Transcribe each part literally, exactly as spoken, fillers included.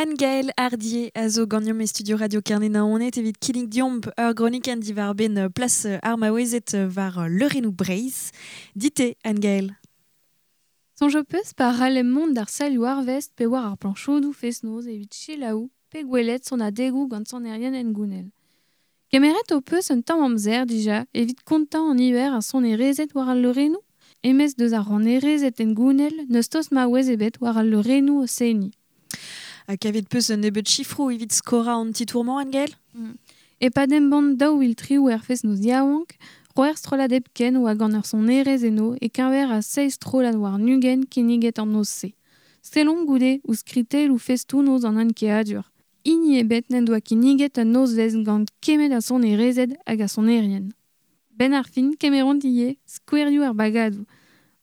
Anne-Gaëlle Hardier a zo ganeomp e studio Radio Kerne Naoned evit kinnig diomp ur gronikenn diwar ben plas ar maouezed war leurennoù Breizh. Dite, Anne-Gaëlle. Soñj peus pa ralem mont d'ar salioù arvest pe war ar planchodoù fest-noz evit selaou pe gwelet son adegoù gant sonerien engounel. Kemeret ho peus un tamm amzer dija evit kontañ an niver a sonerezed war al leurennoù? Emez deus ar rannerezed engounel n'eus tost maouez ebet war al leurennoù o seniñ. Ha kavet peus un nebeud chifroù evit skora an titour-mañ, Anne-Gaëlle? Mm. E pad embann daou vil tri er fest-noz yaouank, c'hwec'h strollad hepken oa gant ur sonerez eno e keñver a seizh strollad war nugen kinniget an noz-se. Sellomp goude ouzh skritelloù festoù-noz an ankeadur. Hini ebet n'en doa kinniget un nozvezh gant kemet a sonerezed hag a sonerien. Ben ar fin kemeront ivez skouerioù ar bagadoù.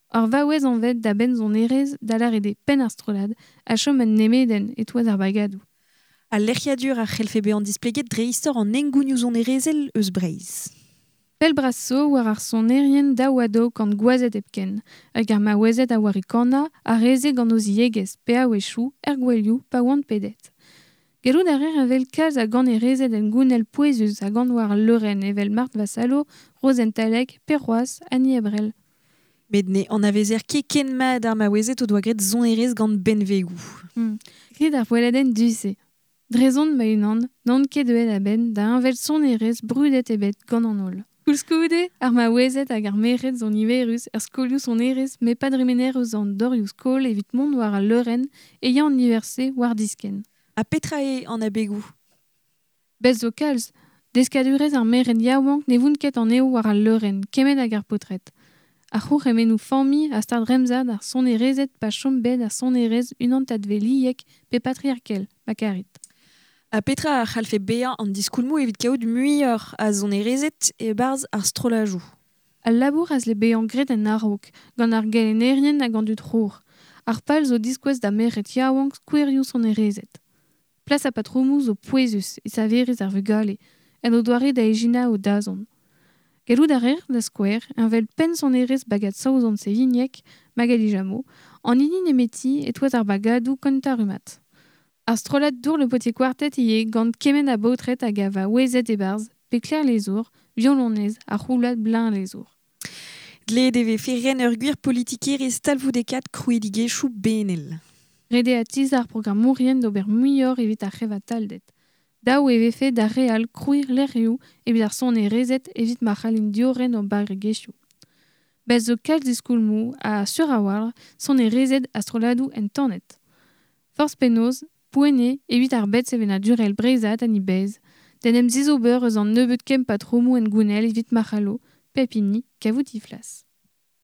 Ur vaouez anvet da benn sonerez da lâret eo penn ar strollad a chom un nemedenn e-touez ar bagadoù. Al lec'hiadur a c'hellfe bezañ displeget dre istor an hengounioù sonerezhel eus Breizh. Pell bras zo war ar sonerien daou-ha-daou gant gwazed hepken, hag ar maouezed a oar e kannañ a reze gant o ziegezh pe a-wechoù er gouelioù pa oant pedet. Gellout a reer evel kalz a ganerezed hengounel pouezus a gan war al leurenn evel Marthe Vassallo, Rozenn Talec pe c'hoazh Annie Ebrel. Met ne anavezer ket ken mat ar maouezed o doa graet sonerezh gant benvegoù. Hmm. Grit ar poelladenn du-se. Drezon ma-unan, n'on ket deuet a-benn da envel sonerezh brudet ebet gant an holl. Koulskoude, ar maouezed hag ar merc'hed zo niverus er skolioù sonerezh met pa dremener eus an dorioù skol evit mont war al leurenn e ya an niver-se war diskenn. Ha petra eo an abegoù? Bez zo kalz, deskadurezh ar merc'hed yaouank ne vount ket anezho war al leurenn, kement hag ar paotred. Ar c'hourc'hemennoù familh a stard remzad ar sonerezed pa chom bet ar sonerezh unan-tadveliek pe patriarkel, ma karit. Ha petra a c'hallfe bezañ an diskoulmoù evit kaout muioc'h a sonerezed e-barzh ar strollajoù? Al labour a zle bezañ graet en a-raok, gant ar gelennerien hag an dud c'hour. Ar pal zo diskouez da merc'hed yaouank skouerioù sonerezed. Plas ha patromoù zo pouezus e saverezh ar vugale, en o doare da ijinañ o dazont. Gellout a reer, da skouer, envel penn sonerezh bagad Saozon Sevignek, Magali Jameau, an hini nemeti e-touez ar bagadoù kentañ rummad. Ar strollad Dour le Potier Quartet ivez gant kement a baotred hag a vaouezed e-barzh, pe Claire Lezour, violonez ha roulad Blin Lezour. Dleet e vefe ren ur gwir politikerezh talvoudekat krouidigezhioù benel. Ret eo atiz ar programmourien d'ober muioc'h evit ar c'hevatalded. Daou e vefe d'ar re all krouiñ lec'hioù evit ar sonerezed evit ma c'hallint diorren o barregezhioù. Bez zo kalz diskoulmoù ha sur a-walc'h sonerezed ha strolladoù entanet. Forzh penaos, poent eo evit ar bed sevenadurel breizhat an e-bezh, d'en em zizober eus an nebeud kemm patromoù engounel evit ma c'hallo, pep hini, kavout he flas.